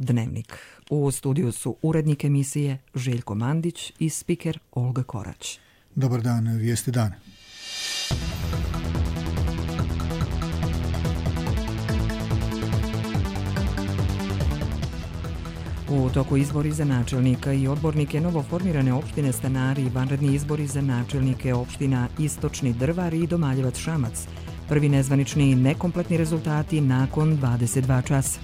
Dnevnik. U studiju su urednik emisije Željko Mandić i spiker Olga Korać. Dobar dan, vijesti dan. U toku izbori za načelnika i odbornike novoformirane opštine Stanari i vanredni izbori za načelnike opština Istočni Drvar i Domaljevac Šamac. Prvi nezvanični nekompletni rezultati nakon 22 časa.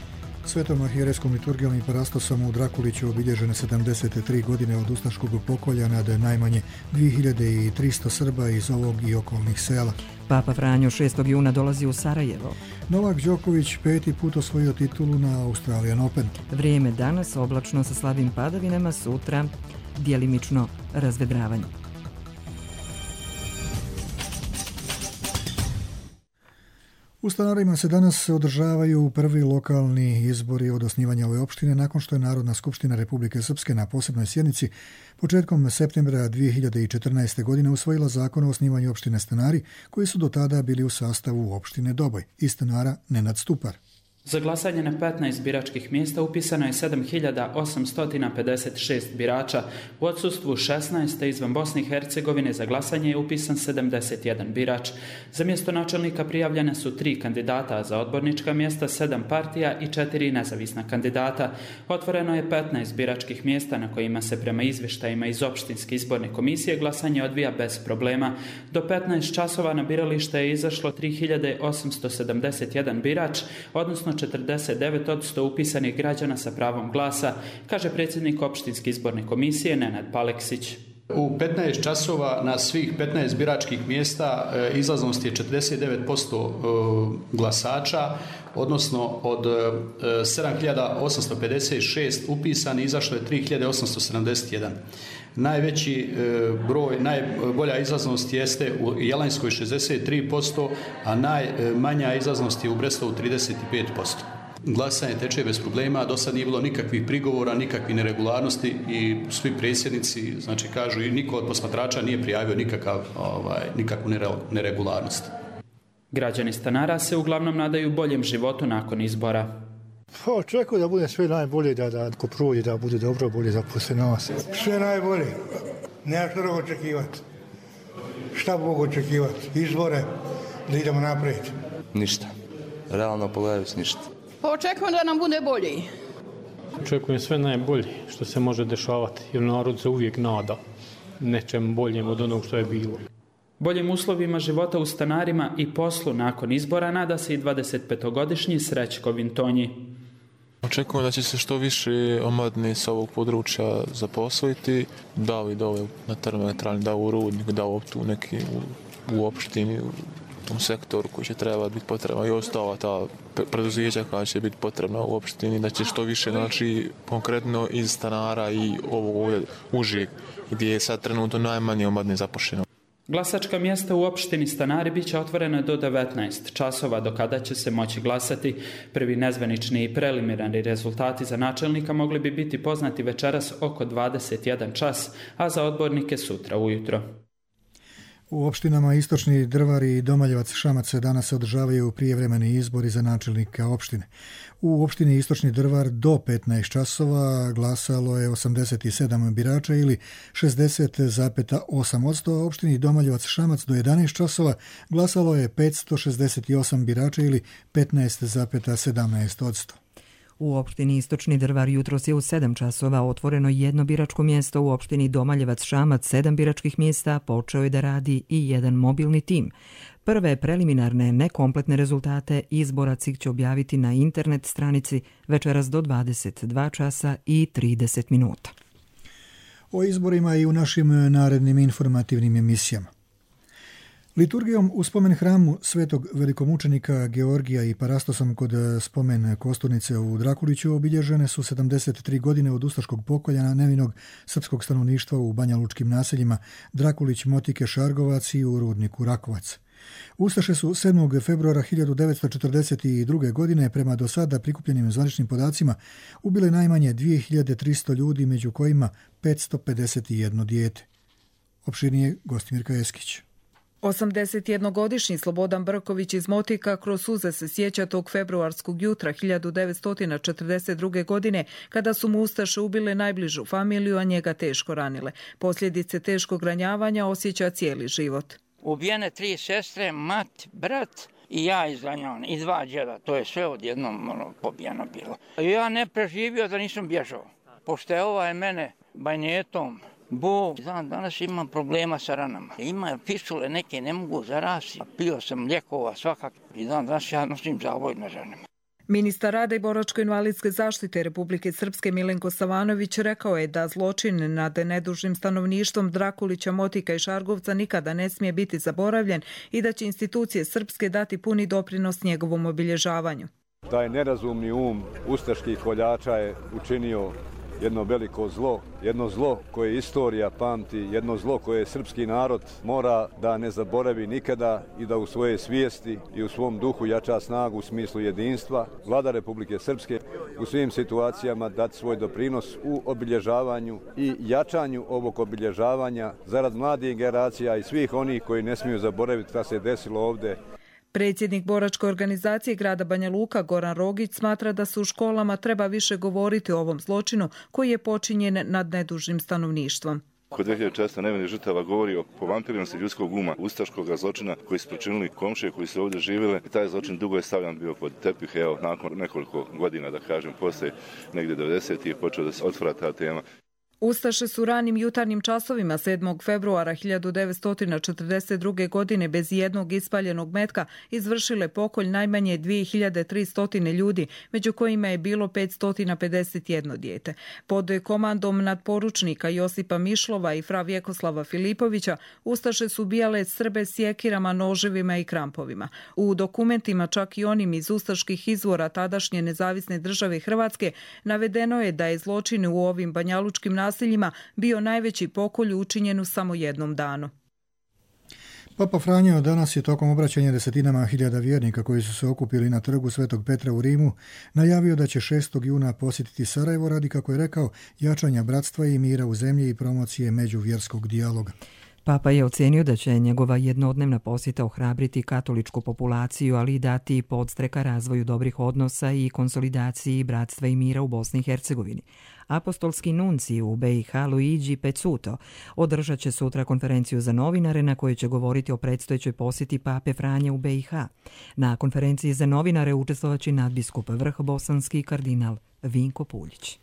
Svetom arhijerejskom liturgijom i parastosom u Drakuliću obilježene 73 godine od ustaškog pokolja nad najmanje 2300 Srba iz ovog i okolnih sela. Papa Franjo 6. juna dolazi u Sarajevo. Novak Đoković 5. put osvojio titulu na Australian Open. Vrijeme danas oblačno sa slabim padavinama, sutra djelimično razvedravanje. U Stanarima se danas održavaju prvi lokalni izbori od osnivanja ove opštine nakon što je Narodna skupština Republike Srpske na posebnoj sjednici početkom septembra 2014. godine usvojila zakon o osnivanju opštine Stanari, koji su do tada bili u sastavu opštine Doboj i stanara Nenad Stupar. Za glasanje na 15 biračkih mjesta upisano je 7856 birača. U odsustvu 16 izvan Bosne i Hercegovine za glasanje je upisan 71 birač. Za mjesto načelnika prijavljene su 3 kandidata, a za odbornička mjesta 7 partija i 4 nezavisna kandidata. Otvoreno je 15 biračkih mjesta na kojima se prema izvještajima iz opštinske izborne komisije glasanje odvija bez problema. Do 15 časova na biralište je izašlo 3871 birač, odnosno 49% upisanih građana sa pravom glasa, kaže predsjednik opštinske izborne komisije Nenad Paleksić. U 15 časova na svih 15 biračkih mjesta izlaznost je 49% glasača, odnosno od 7856 upisani izašlo je 3871. Najveći broj, najbolja izlaznost jeste u Jelanjskoj 63%, a najmanja izlaznost je u Brestovu 35%. Glasanje teče bez problema, do sad nije bilo nikakvih prigovora, nikakvih neregularnosti i svi predsjednici, znači kažu, i niko od posmatrača nije prijavio nikakvu neregularnost. Građani Stanara se uglavnom nadaju boljem životu nakon izbora. Očekujem da bude sve najbolje, da ko prođe, da bude dobro, bolje za poslije nas. Sve najbolje. Nema što drugo očekivati. Šta mogu očekivati? Izbore, da idemo naprijed. Ništa. Realno pogledajući ništa. Očekujem da nam bude bolje. Očekujem sve najbolje što se može dešavati, jer narod se uvijek nada nečem boljem od onog što je bilo. Boljim uslovima života u Stanarima i poslu nakon izbora nada se i 25-godišnji Srećko Vintonji. Očekujem da će se što više omladine sa ovog područja zaposliti, da i dole na termoelektrani, da u Rudniku, da tu neki u opštini, u tom sektoru koji će trebati biti potrebno i ostala ta preduzeća koja će biti potrebna u opštini, da će što više, znači, konkretno iz Stanara i ovog užeg gdje je sad trenutno najmanje omladine zaposleno. Glasačka mjesta u opštini Stanari bit će otvorena do 19 časova, do kada će se moći glasati. Prvi nezvanični i preliminarni rezultati za načelnika mogli bi biti poznati večeras oko 21 čas, a za odbornike sutra ujutro. U opštinama Istočni Drvar i Domaljevac Šamac danas se održavaju prijevremeni izbori za načelnika opštine. U opštini Istočni Drvar do 15 časova glasalo je 87 birača ili 60,8%, a u opštini Domaljevac Šamac do 11 časova glasalo je 568 birača ili 15,17%. U opštini Istočni Drvar jutros je u 7 časova otvoreno jedno biračko mjesto, u opštini Domaljevac Šamac 7 biračkih mjesta, počeo je da radi i jedan mobilni tim. Prve preliminarne nekompletne rezultate izbora CIK će objaviti na internet stranici večeras do 22 časa i 30 minuta. O izborima i u našim narednim informativnim emisijama. Liturgijom u spomen hramu svetog velikomučenika Georgija i parastosom kod spomen kosturnice u Drakuliću obilježene su 73 godine od ustaškog pokolja nevinog srpskog stanovništva u banjalučkim naseljima Drakulić, Motike, Šargovac i u Rudniku Rakovac. Ustaše su 7. februara 1942. godine prema do sada prikupljenim zvaničnim podacima ubile najmanje 2300 ljudi, među kojima 551 dijete. Opširnije Gostimirka Eskić. 81-godišnji Slobodan Brković iz Motika kroz suze se sjeća tog februarskog jutra 1942. godine kada su mu ustaše ubile najbližu familiju, a njega teško ranile. Posljedice teškog ranjavanja osjeća cijeli život. Ubijene 3 sestre, mat, brat i ja izranjavan, i 2 djeda. To je sve odjednom pobijeno bilo. Ja ne preživio da nisam bježao. Pošto je mene banjetom, danas imam problema sa ranama. Ima pisule neke, ne mogu zarasti. Pio sam lijekova svakak i danas ja nosim zavoj na ženama. Ministar rada i boračko-invalidske zaštite Republike Srpske Milenko Savanović rekao je da zločin nad nedužnim stanovništvom Drakulića, Motika i Šargovca nikada ne smije biti zaboravljen i da će institucije srpske dati puni doprinos njegovom obilježavanju. Taj nerazumni ustaških koljača je učinio jedno veliko zlo, jedno zlo koje istorija pamti, jedno zlo koje srpski narod mora da ne zaboravi nikada i da u svojoj svijesti i u svom duhu jača snagu u smislu jedinstva. Vlada Republike Srpske u svim situacijama dati svoj doprinos u obilježavanju i jačanju ovog obilježavanja zarad mladih generacija i svih onih koji ne smiju zaboraviti šta se desilo ovdje. Predsjednik boračke organizacije grada Banja Luka Goran Rogić smatra da se u školama treba više govoriti o ovom zločinu koji je počinjen nad nedužnim stanovništvom. Kod 2004. nevinih žrtava govori o povampiranosti ljudskog uma, ustaškog zločina koji su počinili komšije koji su ovdje živjeli. I taj zločin dugo je stavljan bio pod tepih. Evo, nakon nekoliko godina, da kažem, poslije negdje 90. je počeo da se otvara ta tema. Ustaše su ranim jutarnjim časovima 7. februara 1942. godine bez jednog ispaljenog metka izvršile pokolj najmanje 2300 ljudi, među kojima je bilo 551 dijete. Pod komandom nadporučnika Josipa Mišlova i fra Vjekoslava Filipovića ustaše su ubijale Srbe sjekirama, noževima i krampovima. U dokumentima, čak i onim iz ustaških izvora tadašnje nezavisne države Hrvatske, navedeno je da je zločin u ovim banjalučkim naseljima bio najveći pokolj učinjen u samo jednom danu. Papa Franjo danas je tokom obraćanja desetinama hiljada vjernika koji su se okupili na trgu Svetog Petra u Rimu najavio da će 6. juna posjetiti Sarajevo radi, kako je rekao, jačanja bratstva i mira u zemlji i promocije međuvjerskog dijaloga. Papa je ocenio da će njegova jednodnevna posjeta ohrabriti katoličku populaciju, ali i dati podstreka razvoju dobrih odnosa i konsolidaciji bratstva i mira u Bosni i Hercegovini. Apostolski nuncij u BiH Luigi Pezzuto održat će sutra konferenciju za novinare na kojoj će govoriti o predstojećoj posjeti Pape Franje u BiH. Na konferenciji za novinare učestvovaće nadbiskup Vrh bosanski kardinal Vinko Puljić.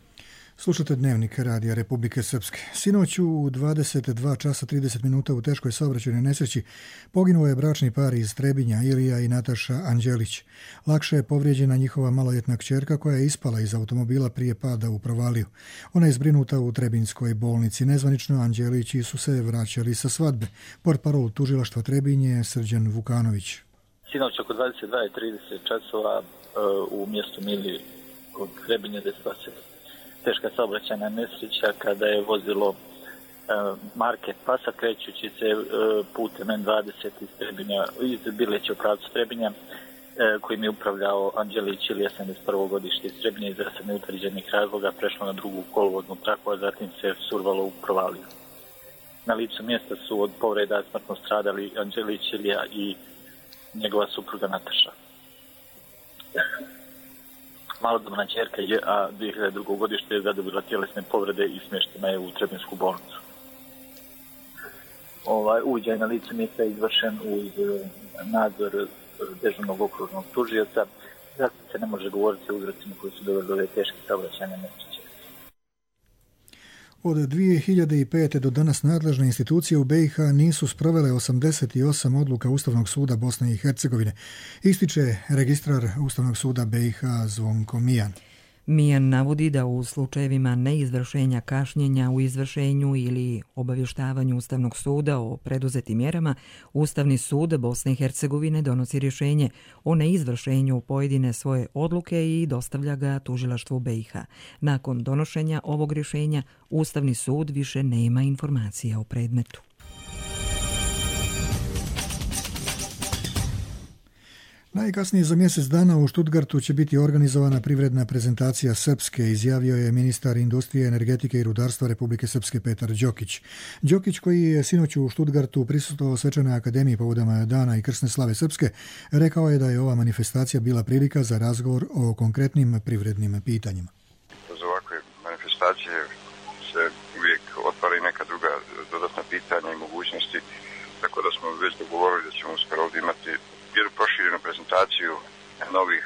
Slušate Dnevnik Radija Republike Srpske. Sinoć u 22 časa 30 minuta u teškoj saobraćajnoj nesreći poginuo je bračni par iz Trebinja, Ilija i Nataša Anđelić. Lakše je povrijeđena njihova maloljetna kćerka koja je ispala iz automobila prije pada u provaliju. Ona je zbrinuta u Trebinjskoj bolnici. Nezvanično Anđelići su se vraćali sa svadbe. Portparol tužilaštva Trebinje Srđan Vukanović. Sinoć oko 22:30 časova u mjestu Mili kod Trebinja desila se teška saobraćajna nesreća kada je vozilo marke Pasa krećući se putem N20 iz Bileća u pravcu Trebinja kojim je upravljao Anđelić Ilija 71. godište iz Trebinja iz neutvrđenih razloga prešlo na drugu kolovoznu traku, a zatim se survalo u provaliju. Na licu mjesta su od povreda smrtno stradali Anđelić Ilija i njegova supruga Nataša. Malodobna ćerka je, a 2002. godište je zadobila tjelesne povrede i smještena je u Trebinsku bolnicu. Uviđaj na licu mjesta je izvršen uz nadzor dežurnog okružnog tužioca. Zato se ne može govoriti o uzrocima koji su doveli do ove teške saobraćajne nesreće. Od 2005. do danas nadležne institucije u BiH nisu sprovele 88 odluka Ustavnog suda Bosne i Hercegovine, ističe registrar Ustavnog suda BiH Zvonko Mijan. Mijan navodi da u slučajevima neizvršenja kašnjenja u izvršenju ili obavještavanju Ustavnog suda o preduzetim mjerama, Ustavni sud Bosne i Hercegovine donosi rješenje o neizvršenju pojedine svoje odluke i dostavlja ga tužilaštvu BiH. Nakon donošenja ovog rješenja, Ustavni sud više nema informacija o predmetu. Najkasnije za mjesec dana u Stuttgartu će biti organizovana privredna prezentacija Srpske, izjavio je ministar industrije, energetike i rudarstva Republike Srpske Petar Đokić. Đokić, koji je sinoć u Stuttgartu prisustvovao Svečanoj akademiji povodom dana i krsne slave Srpske, rekao je da je ova manifestacija bila prilika za razgovor o konkretnim privrednim pitanjima. Kroz ovakve manifestacije se uvijek otvara i neka druga dodatna pitanja i mogućnosti, tako da smo već dogovorili da ćemo uskoro ovdje imati jednu proširenu prezentaciju novih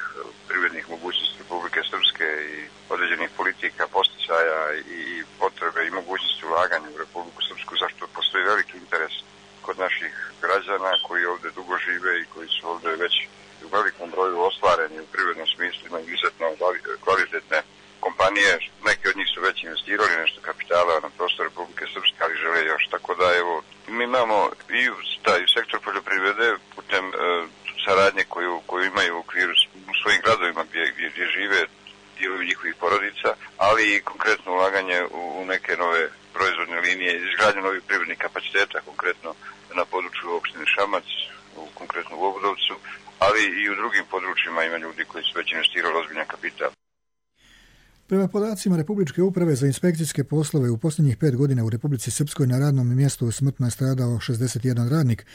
privrednih mogućnosti Republike Srpske i određenih politika, posticaja i potrebe i mogućnosti ulaganja u Republiku Srpsku, zašto postoji veliki interes kod naših građana koji ovdje dugo žive i koji su ovdje već u velikom broju ostvareni u privrednom smislu, imaju izuzetno kvalitetne kompanije. Neki od njih su već investirali nešto kapitala na prostor Republike Srpske, ali žele još. Tako da evo, mi imamo i taj sektor poljoprivrede putem saradnje koju imaju u okviru u svojim gradovima gdje žive dijelovi njihovih porodica, ali i konkretno ulaganje u neke nove proizvodne linije, izgradnju novih privrednih kapaciteta, konkretno na području opštine Šamac, konkretno u Obudovcu, ali i u drugim područjima ima ljudi koji su već investirali ozbiljan kapital. Prema podacima Republičke uprave za inspekcijske poslove u posljednjih 5 godina u Republici Srpskoj na radnom mjestu smrtno je stradao 61 radnik,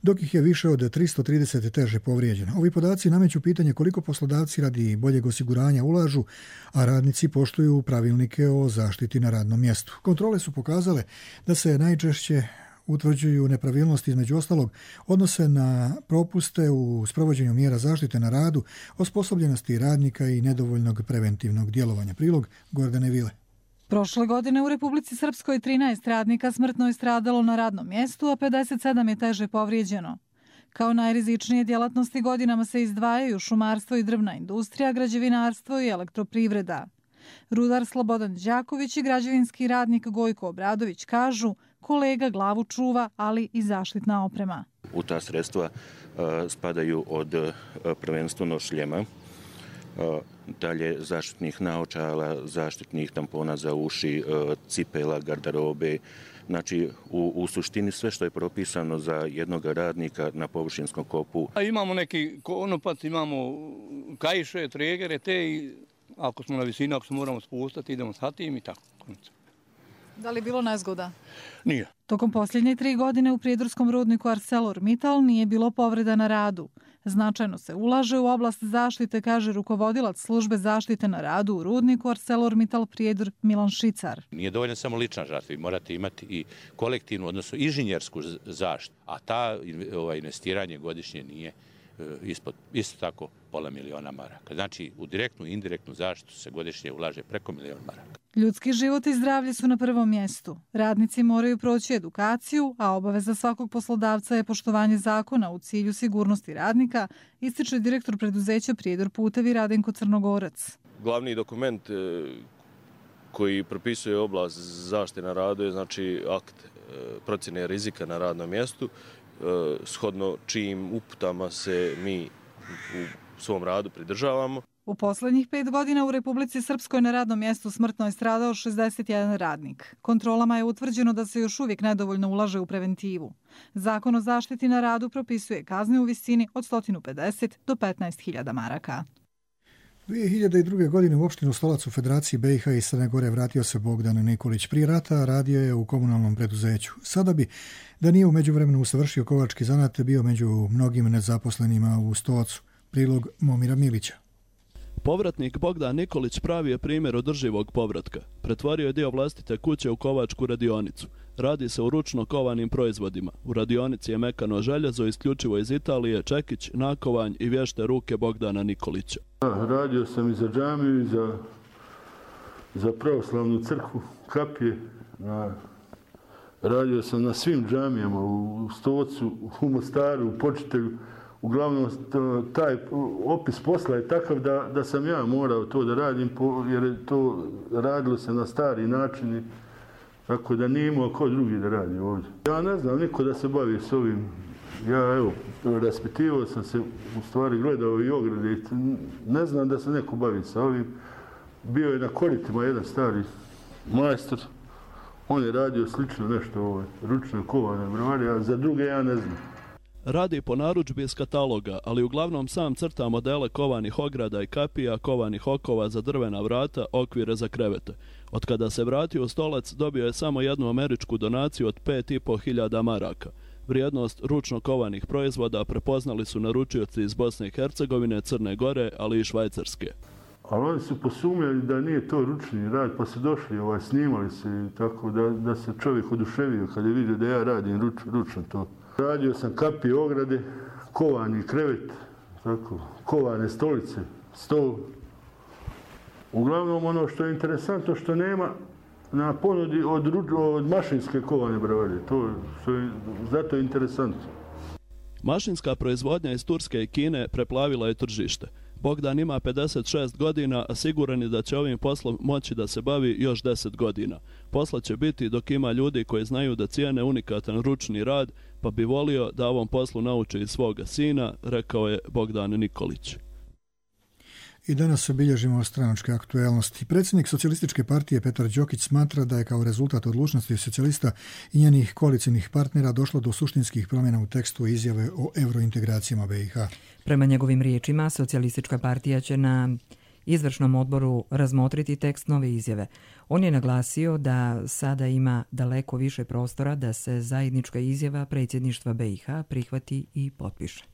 dok ih je više od 330 teže povrijeđeno. Ovi podaci nameću pitanje koliko poslodavci radi boljeg osiguranja ulažu, a radnici poštuju pravilnike o zaštiti na radnom mjestu. Kontrole su pokazale da se najčešće utvrđuju nepravilnosti, između ostalog odnose na propuste u sprovođenju mjera zaštite na radu, osposobljenosti radnika i nedovoljnog preventivnog djelovanja. Prilog Gordane Vile. Prošle godine u Republici Srpskoj 13 radnika smrtno je stradalo na radnom mjestu, a 57 je teže povrijeđeno. Kao najrizičnije djelatnosti godinama se izdvajaju šumarstvo i drvna industrija, građevinarstvo i elektroprivreda. Rudar Slobodan Đaković i građevinski radnik Gojko Obradović kažu kolega glavu čuva, ali i zaštitna oprema. U ta sredstva spadaju od prvenstveno šljema, dalje zaštitnih naočala, zaštitnih tampona za uši, cipela, garderobe. Znači, u suštini sve što je propisano za jednog radnika na površinskom kopu. A imamo neki konopac, imamo kaiše, tregere, te i ako smo na visini, ako se moramo spustati, idemo sa tim i tako. Da li je bilo nezgoda? Nije. Tokom posljednje 3 godine u prijedorskom rudniku ArcelorMittal nije bilo povreda na radu. Značajno se ulaže u oblast zaštite, kaže rukovodilac službe zaštite na radu u rudniku ArcelorMittal Prijedor Milan Šicar. Nije dovoljno samo lična zaštita, vi morate imati i kolektivnu, odnosno inženjersku zaštitu, a ta investiranje godišnje nije isto tako $500.000 maraka. Znači, u direktnu i indirektnu zaštitu se godišnje ulaže preko $1.000.000 maraka. Ljudski život i zdravlje su na prvom mjestu. Radnici moraju proći edukaciju, a obaveza svakog poslodavca je poštovanje zakona u cilju sigurnosti radnika, ističe direktor preduzeća Prijedor putevi Radenko Crnogorac. Glavni dokument koji propisuje oblast zaštite na radu je znači akt procjene rizika na radnom mjestu, shodno čijim uputama se mi u svom radu pridržavamo. U posljednjih 5 godina u Republici Srpskoj na radnom mjestu smrtno je stradao 61 radnik. Kontrolama je utvrđeno da se još uvijek nedovoljno ulaže u preventivu. Zakon o zaštiti na radu propisuje kazne u visini od 150 do 15.000 maraka. 2002. godine u opštinu Stolac u Federaciji BiH i Crne Gore vratio se Bogdan Nikolić. Prije rata radio je u komunalnom preduzeću. Sada bi, da nije u međuvremenu usavršio kovački zanat, bio među mnogim nezaposlenima u Stolacu. Prilog Momira Milića. Povratnik Bogdan Nikolić pravi je primjer održivog povratka. Pretvorio je dio vlastite kuće u kovačku radionicu. Radi se o ručno kovanim proizvodima. U radionici je mekano željezo isključivo iz Italije, čekić, nakovanj i vješte ruke Bogdana Nikolića. Radio sam i za džamiju i za pravoslavnu crkvu, kapije. Radio sam na svim džamijama, u Stocu, u Mostaru, u Počitelju. Uglavnom, taj opis posla je takav da sam ja morao to da radim, jer je to radilo se na stari način, tako da nije imao ko drugi da radi ovdje. Ja ne znam niko da se bavi s ovim. Ja, evo, raspitivao sam se, u stvari gledao i ograde. Ne znam da se neko bavi sa ovim. Bio je na koritima jedan stari majstor. On je radio slično nešto ručno kovane brvari, a za druge ja ne znam. Radi po narudžbi iz kataloga, ali uglavnom sam crta modele kovanih ograda i kapija, kovanih okova za drvena vrata, okvire za krevete. Od kada se vratio u Stolac, dobio je samo jednu američku donaciju od 5.500 maraka. Vrijednost ručno kovanih proizvoda prepoznali su naručioci iz Bosne i Hercegovine, Crne Gore, ali i Švajcarske. Ali oni su posumnjali da nije to ručni rad, pa su došli, snimali se tako da se čovjek oduševio kad je vidio da ja radim ručno to. Radio sam kapije, ograde, kovani krevet, tako, kovane stolice, stol. Uglavnom ono što je interesantno što nema na ponudi od mašinske kovane bravade, zato je interesantno. Mašinska proizvodnja iz Turske i Kine preplavila je tržište. Bogdan ima 56 godina, a siguran je da će ovim poslom moći da se bavi još 10 godina. Posla će biti dok ima ljudi koji znaju da cijene unikatan ručni rad, pa bi volio da ovom poslu nauči i svoga sina, rekao je Bogdan Nikolić. I danas obilježimo stranačke aktuelnosti. Predsjednik Socijalističke partije Petar Đokić smatra da je kao rezultat odlučnosti socijalista i njenih koalicijnih partnera došlo do suštinskih promjena u tekstu izjave o eurointegracijama BiH. Prema njegovim riječima, Socijalistička partija će na izvršnom odboru razmotriti tekst nove izjave. On je naglasio da sada ima daleko više prostora da se zajednička izjava predsjedništva BiH prihvati i potpiše.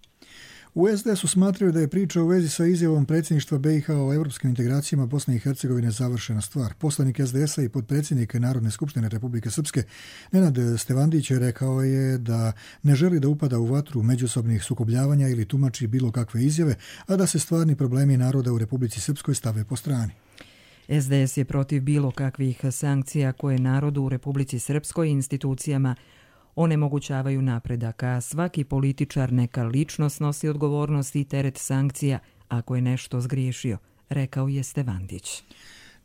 U SDS-u smatraju da je priča u vezi sa izjavom predsjedništva BiH o europskim integracijama Bosne i Hercegovine završena stvar. Poslanik SDS-a i potpredsjednik Narodne skupštine Republike Srpske Nenad Stevandić rekao je da ne želi da upada u vatru međusobnih sukobljavanja ili tumači bilo kakve izjave, a da se stvarni problemi naroda u Republici Srpskoj stave po strani. SDS je protiv bilo kakvih sankcija koje narodu u Republici Srpskoj i institucijama onemogućavaju napredak, a svaki političar neka lično snosi odgovornost i teret sankcija ako je nešto zgriješio, rekao je Stevandić.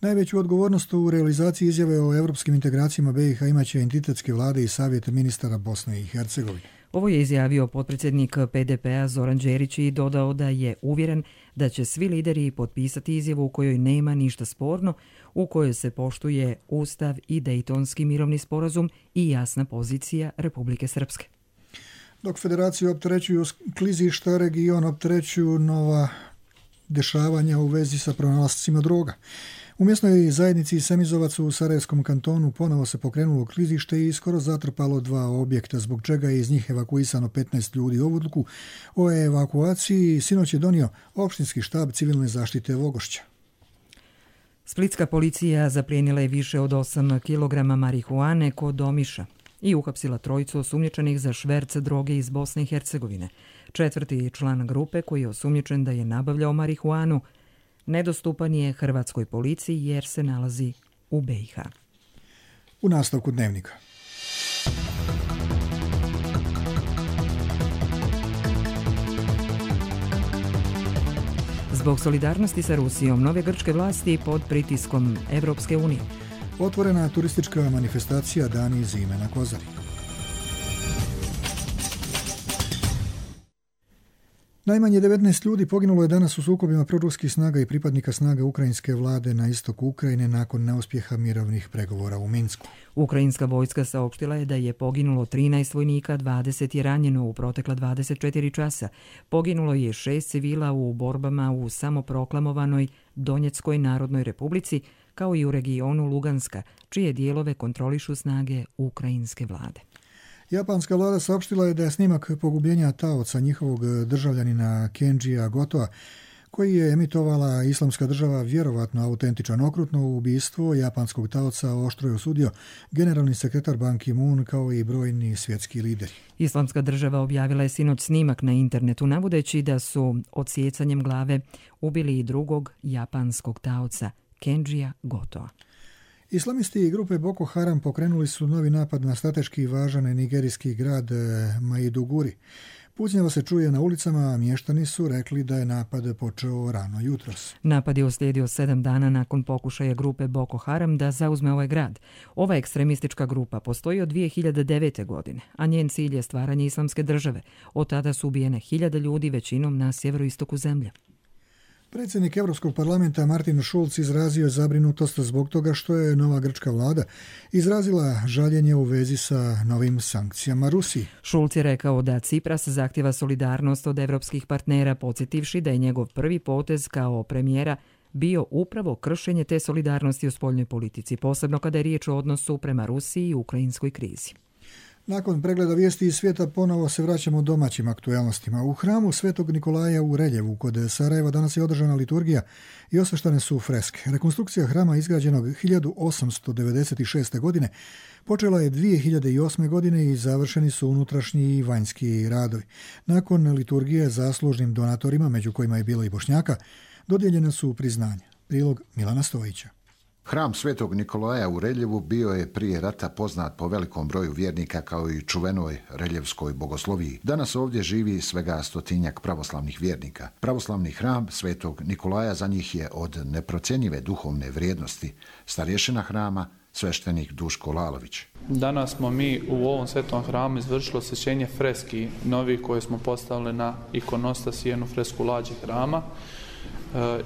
Najveću odgovornost u realizaciji izjave o europskim integracijama BiH imaće entitetske vlade i savjet ministara Bosne i Hercegovine. Ovo je izjavio potpredsjednik PDP-a Zoran Đerić i dodao da je uvjeren da će svi lideri potpisati izjavu u kojoj nema ništa sporno, u kojoj se poštuje Ustav i Dejtonski mirovni sporazum i jasna pozicija Republike Srpske. Dok federaciju opterećuju klizišta, region opterećuju nova dešavanja u vezi sa pronalascima droga. U mjesnoj zajednici Semizovac u Sarajevskom kantonu ponovo se pokrenulo klizište i skoro zatrpalo 2 objekta, zbog čega je iz njih evakuisano 15 ljudi. Odluku o evakuaciji sinoć je donio opštinski štab civilne zaštite Vogošća. Splitska policija zaplijenila je više od 8 kg marihuane kod Omiša i uhapsila 3 osumnjičenih za šverc droge iz Bosne i Hercegovine. 4. član grupe koji je osumnjičen da je nabavljao marihuanu nedostupan je hrvatskoj policiji jer se nalazi u BiH. U nastavku dnevnika. Zbog solidarnosti sa Rusijom, nove grčke vlasti pod pritiskom Evropske unije. Otvorena turistička manifestacija Dani zime na Kozari. Najmanje 19 ljudi poginulo je danas u sukobima proruskih snaga i pripadnika snaga ukrajinske vlade na istoku Ukrajine nakon neuspjeha mirovnih pregovora u Minsku. Ukrajinska vojska saopštila je da je poginulo 13 vojnika, 20 je ranjeno u protekla 24 časa. Poginulo je 6 civila u borbama u samoproklamovanoj Donjeckoj narodnoj republici, kao i u regionu Luganska, čije dijelove kontrolišu snage ukrajinske vlade. Japanska vlada saopštila je da je snimak pogubljenja taoca njihovog državljanina Kenjija Gotoa, koji je emitovala Islamska država, vjerovatno autentičan. Okrutno ubistvo japanskog taoca oštro je osudio generalni sekretar Ban Ki-moon kao i brojni svjetski lideri. Islamska država objavila je sinoć snimak na internetu navodeći da su odsjecanjem glave ubili i drugog japanskog taoca, Kenjija Gotoa. Islamisti grupe Boko Haram pokrenuli su novi napad na strateški važan nigerijski grad Maiduguri. Pucnjava se čuje na ulicama, a mještani su rekli da je napad počeo rano jutros. Napad je uslijedio 7 dana nakon pokušaja grupe Boko Haram da zauzme ovaj grad. Ova ekstremistička grupa postoji od 2009. godine, a njen cilj je stvaranje islamske države. Od tada su ubijene 1000 ljudi, većinom na sjeveroistoku zemlje. Predsjednik Europskog parlamenta Martin Schulz izrazio je zabrinutost zbog toga što je nova grčka vlada izrazila žaljenje u vezi sa novim sankcijama Rusiji. Schulz je rekao da Cipras zahtjeva solidarnost od evropskih partnera, podsjetivši da je njegov prvi potez kao premijera bio upravo kršenje te solidarnosti u spoljnoj politici, posebno kada je riječ o odnosu prema Rusiji i ukrajinskoj krizi. Nakon pregleda vijesti iz svijeta ponovo se vraćamo domaćim aktualnostima. U hramu Svetog Nikolaja u Reljevu kod Sarajeva danas je održana liturgija i osveštane su freske. Rekonstrukcija hrama izgrađenog 1896. godine počela je 2008. godine i završeni su unutrašnji i vanjski radovi. Nakon liturgije zaslužnim donatorima, među kojima je bilo i Bošnjaka, dodijeljene su priznanja. Prilog Milana Stojića. Hram Svetog Nikolaja u Reljevu bio je prije rata poznat po velikom broju vjernika kao i čuvenoj reljevskoj bogosloviji. Danas ovdje živi svega 100-tinjak pravoslavnih vjernika. Pravoslavni hram Svetog Nikolaja za njih je od neprocjenjive duhovne vrijednosti. Starješina hrama, sveštenik Duško Lalović. Danas smo mi u ovom svetom hramu izvršili osvećenje freski novih koje smo postavili na ikonostas i jednu fresku lađe hrama.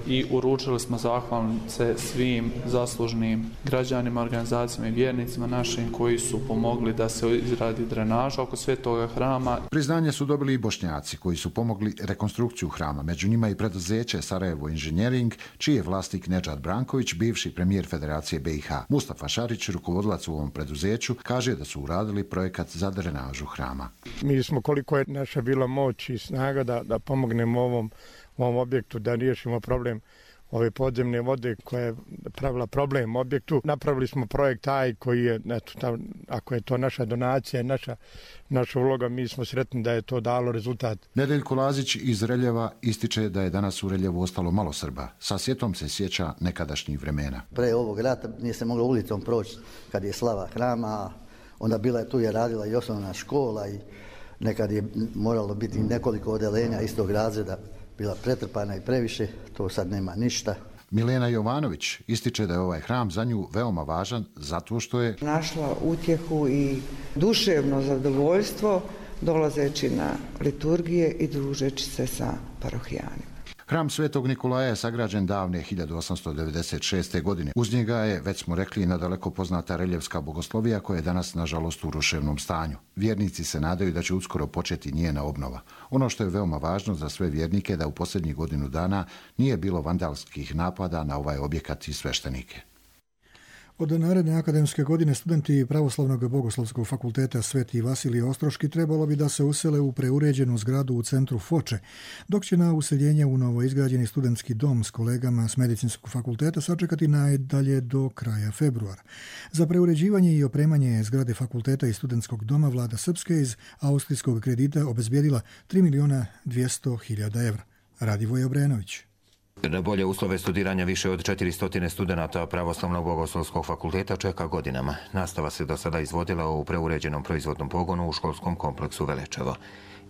I uručili smo zahvalnice svim zaslužnim građanima, organizacijama i vjernicima našim koji su pomogli da se izradi drenaža oko svetoga hrama. Priznanje su dobili i Bošnjaci koji su pomogli rekonstrukciju hrama, među njima i preduzeće Sarajevo Inženjering, čiji je vlasnik Nedžad Branković, bivši premijer Federacije BiH. Mustafa Šarić, rukovodilac u ovom preduzeću, kaže da su uradili projekat za drenažu hrama. Mi smo koliko je naša bila moć i snaga da pomognemo ovom objektu, da riješimo problem ove podzemne vode koja je pravila problem objektu. Napravili smo projekt taj koji je, ako je to naša donacija, naša uloga, mi smo sretni da je to dalo rezultat. Nedeljko Lazić iz Reljeva ističe da je danas u Reljevu ostalo malo Srba. Sa sjetom se sjeća nekadašnjih vremena. Pre ovog rata nije se moglo ulicom proći kad je slava hrama, onda bila je tu je radila i osnovna škola i nekad je moralo biti nekoliko odelenja istog razreda, bila pretrpana i previše, to sad nema ništa. Milena Jovanović ističe da je ovaj hram za nju veoma važan zato što je našla utjehu i duševno zadovoljstvo dolazeći na liturgije i družeći se sa parohijanima. Hram Svetog Nikolaja je sagrađen davne 1896. godine. Uz njega je, već smo rekli, nadaleko poznata reljevska bogoslovija koja je danas, nažalost, u ruševnom stanju. Vjernici se nadaju da će uskoro početi njena obnova. Ono što je veoma važno za sve vjernike da u posljednjih godinu dana nije bilo vandalskih napada na ovaj objekat i sveštenike. Od naredne akademske godine studenti Pravoslavnog bogoslovskog fakulteta Sveti Vasilije Ostroški trebalo bi da se usele u preuređenu zgradu u centru Foče, dok će na useljenje u novo izgrađeni studentski dom s kolegama s medicinskog fakulteta sačekati najdalje do kraja februara. Za preuređivanje i opremanje zgrade fakulteta i studentskog doma vlada Srpske iz austrijskog kredita obezbijedila 3.200.000 evra. Radivoje Obrenović. Na bolje uslove studiranja više od 400 studenata Pravoslavnog bogoslovskog fakulteta čeka godinama. Nastava se do sada izvodila u preuređenom proizvodnom pogonu u školskom kompleksu Velečevo.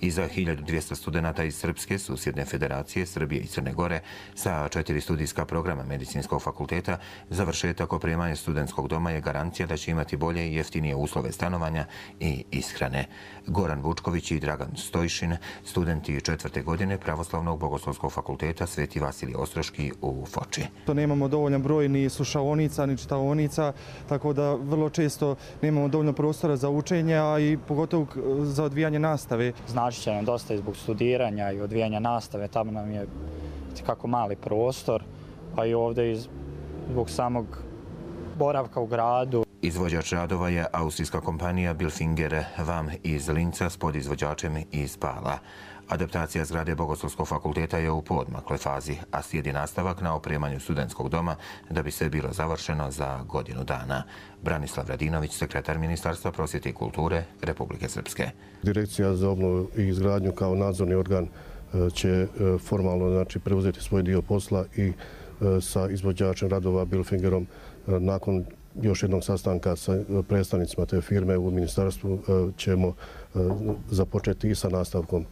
I za 1200 studenata iz Srpske, susjedne federacije, Srbije i Crne Gore, sa 4 studijska programa medicinskog fakulteta, završetak opremanja studentskog doma je garancija da će imati bolje i jeftinije uslove stanovanja i ishrane. Goran Vučković i Dragan Stojšin, studenti 4. godine Pravoslavnog bogoslovskog fakulteta Sveti Vasilije Ostroški u Foči. To nemamo dovoljan broj ni slušaonica, ni čitaonica, tako da vrlo često nemamo dovoljno prostora za učenje, a i pogotovo za odvijanje nastave. Znači će nam dosta i zbog studiranja i odvijanja nastave, tamo nam je kako mali prostor, pa i ovdje i zbog samog boravka u gradu. Izvođač radova je austrijska kompanija Bilfinger Vam iz Linca s podizvođačem iz Pala. Adaptacija zgrade Bogoslovskog fakulteta je u poodmakloj fazi, a slijedi nastavak na opremanju studentskog doma da bi sve bilo završeno za godinu dana. Branislav Radinović, sekretar Ministarstva prosvjete i kulture Republike Srpske. Direkcija za obnovu i izgradnju kao nadzorni organ će formalno preuzeti svoj dio posla i sa izvođačem radova Bilfingerom nakon još jednog sastanka sa predstavnicima te firme u ministarstvu ćemo započeti i sa nastavkom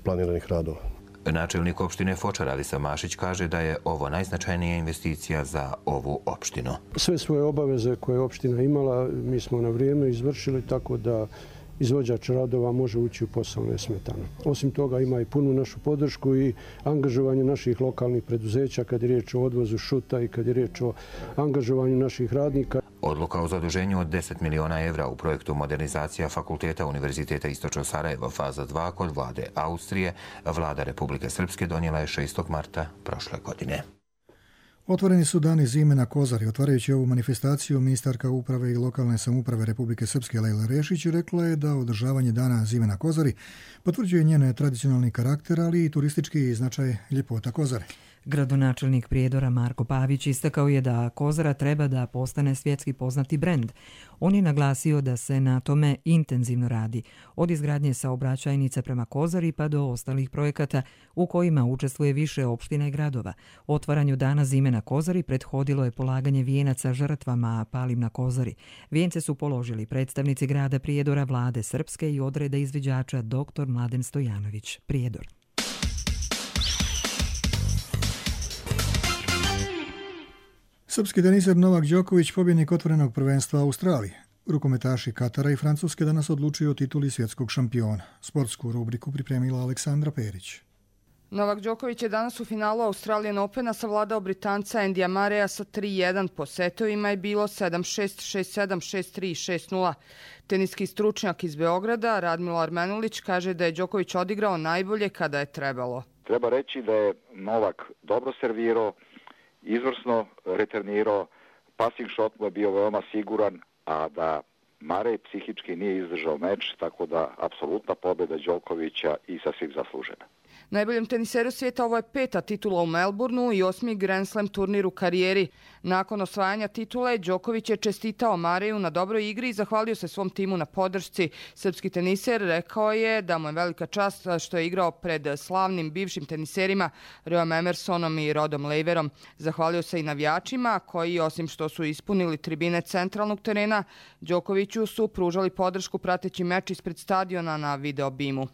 planiranih radova. Načelnik opštine Foča Radislav Mašić kaže da je ovo najznačajnija investicija za ovu opštinu. Sve svoje obaveze koje je opština imala mi smo na vrijeme izvršili, tako da izvođač radova može ući u posao nesmetano. Osim toga ima i punu našu podršku i angažovanje naših lokalnih preduzeća kad je riječ o odvozu šuta i kad je riječ o angažovanju naših radnika. Odluka o zaduženju od 10 miliona evra u projektu modernizacija Fakulteta Univerziteta Istočno Sarajevo faza 2 kod vlade Austrije, vlada Republike Srpske donijela je 6. marta prošle godine. Otvoreni su dani zime na Kozari. Otvarajući ovu manifestaciju, ministarka uprave i lokalne samouprave Republike Srpske Lejla Rešić rekla je da održavanje dana zime na Kozari potvrđuje njene tradicionalni karakter, ali i turistički značaj ljepota Kozare. Gradonačelnik Prijedora Marko Pavić istakao je da Kozara treba da postane svjetski poznati brend. On je naglasio da se na tome intenzivno radi, od izgradnje saobraćajnica prema Kozari pa do ostalih projekata u kojima učestvuje više opština i gradova. Otvaranju dana zime na Kozari prethodilo je polaganje vijenaca žrtvama palim na Kozari. Vijence su položili predstavnici grada Prijedora, vlade Srpske i odreda izviđača dr. Mladen Stojanović, Prijedor. Srpski teniser Novak Đoković pobjednik otvorenog prvenstva Australije. Rukometaši Katara i Francuske danas odlučuju o tituli svjetskog šampiona. Sportsku rubriku pripremila Aleksandra Perić. Novak Đoković je danas u finalu Australian Opena savladao Britanca Endija Mareja sa 3-1. Po setovima je bilo 7-6, 6-7, 6-3 i 6-0. Teniski stručnjak iz Beograda, Radmilo Armenulić, kaže da je Đoković odigrao najbolje kada je trebalo. Treba reći da je Novak dobro servirao, izvrsno returnirao, passing shot mu je bio veoma siguran, a da Marej psihički nije izdržao meč, tako da apsolutna pobjeda Đokovića i sasvim zaslužena. Najboljem teniseru svijeta ovo je 5. titula u Melbourneu i 8. Grand Slam turnir u karijeri. Nakon osvajanja titule, Đoković je čestitao Mareju na dobroj igri i zahvalio se svom timu na podršci. Srpski teniser rekao je da mu je velika čast što je igrao pred slavnim bivšim teniserima Reom Emersonom i Rodom Laverom. Zahvalio se i navijačima koji, osim što su ispunili tribine centralnog terena, Đokoviću su pružali podršku prateći meč ispred stadiona na video bimu.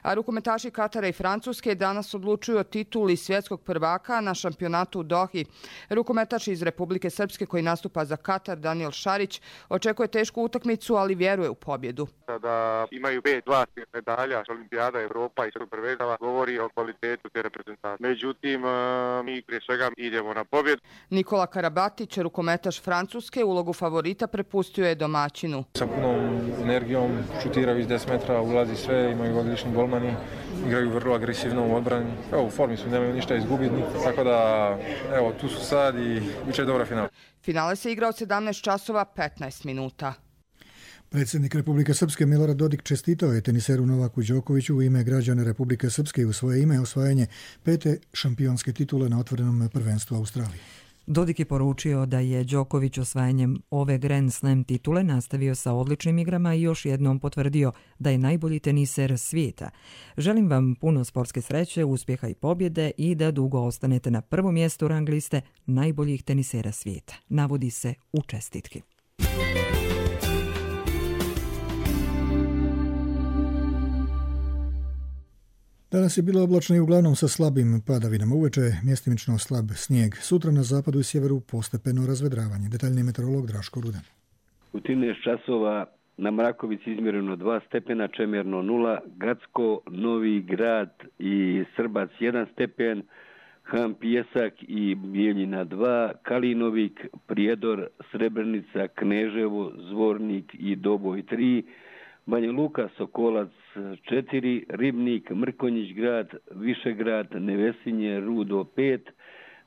A rukometaši Katara i Francuske danas odlučuju o tituli svjetskog prvaka na šampionatu u Dohi. Rukometaš iz Republike Srpske koji nastupa za Katar, Daniel Šarić, očekuje tešku utakmicu, ali vjeruje u pobjedu. Da imaju 5 zlatnih medalja, Olimpijada, Evropa i svjetskog prvenstva, govori o kvalitetu te reprezentacije. Međutim, mi prije svega idemo na pobjedu. Nikola Karabatić, rukometaš Francuske, ulogu favorita prepustio je domaćinu. Sa punom energijom šutiraju iz 10 metra, ulazi sve, imaju odlični golmani, igraju vrlo agresivno u odbrani. Evo, u formi su, nemaju ništa izgubiti, tako da evo, tu su sad i biće dobra finala. Finale se igra od 17 časova 15 minuta. Predsjednik Republike Srpske Milorad Dodik čestitao je teniseru Novaku Đokoviću u ime građana Republike Srpske i u svoje ime osvajanje 5. šampionske titule na otvorenom prvenstvu Australije. Dodik je poručio da je Đoković osvajanjem ove Grand Slam titule nastavio sa odličnim igrama i još jednom potvrdio da je najbolji teniser svijeta. Želim vam puno sportske sreće, uspjeha i pobjede i da dugo ostanete na prvom mjestu rang liste najboljih tenisera svijeta, navodi se u čestitki. Danas je bilo oblačno i uglavnom sa slabim padavinama. Uveče mjestimično slab snijeg. Sutra na zapadu i sjeveru postepeno razvedravanje. Detaljni meteorolog Draško Rudan. U 13 časova na Mrakovici izmjereno 2 stepena, Čemerno 0, Gacko, Novi Grad i Srbac 1 stepen, Han Pijesak i Bijeljina 2, Kalinovik, Prijedor, Srebrenica, Kneževo, Zvornik i Doboj 3, Banja Luka, Sokolac 4, Ribnik, Mrkonjić grad, Višegrad, Nevesinje, Rudo 5,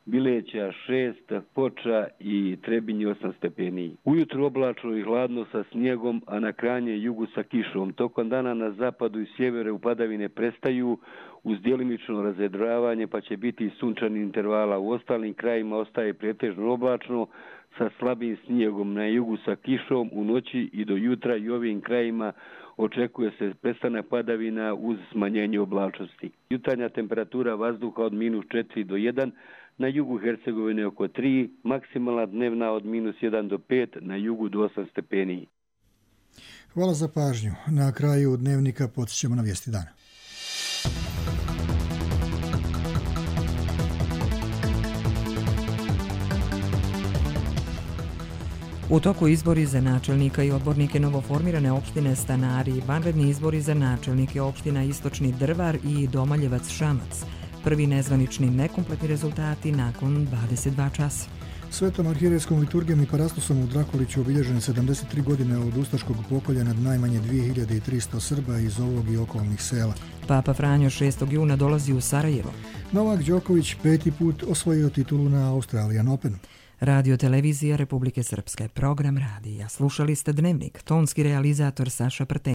Bileća 6, Foča i Trebinje 8 stepeni. Ujutro oblačno i hladno sa snijegom, a na krajnje jugu sa kišom. Tokom dana na zapadu i sjevere upadavine prestaju uz djelimično razvedravanje, pa će biti sunčani intervala. U ostalim krajima ostaje pretežno oblačno sa slabim snijegom, na jugu sa kišom u noći i do jutra i ovim krajima očekuje se prestanak padavina uz smanjenje oblačnosti. Jutarnja temperatura vazduha od -4 do 1, na jugu Hercegovine oko 3, maksimalna dnevna od -1 do 5, na jugu do 8 stepeni. Hvala za pažnju. Na kraju dnevnika podsjećamo na vijesti dana. U toku izbori za načelnika i odbornike novoformirane opštine Stanari, vanredni izbori za načelnike opština Istočni Drvar i Domaljevac Šamac. Prvi nezvanični nekompletni rezultati nakon 22 časa. Svetom arhijerejskom liturgijom i parastosom u Drakoliću obilježene 73 godine od ustaškog pokolja nad najmanje 2300 Srba iz ovog i okolnih sela. Papa Franjo 6. juna dolazi u Sarajevo. Novak Đoković 5. put osvojio titulu na Australian Openu. Radio televizija Republike Srpske, program radija. Slušali ste Dnevnik, tonski realizator Saša Prten.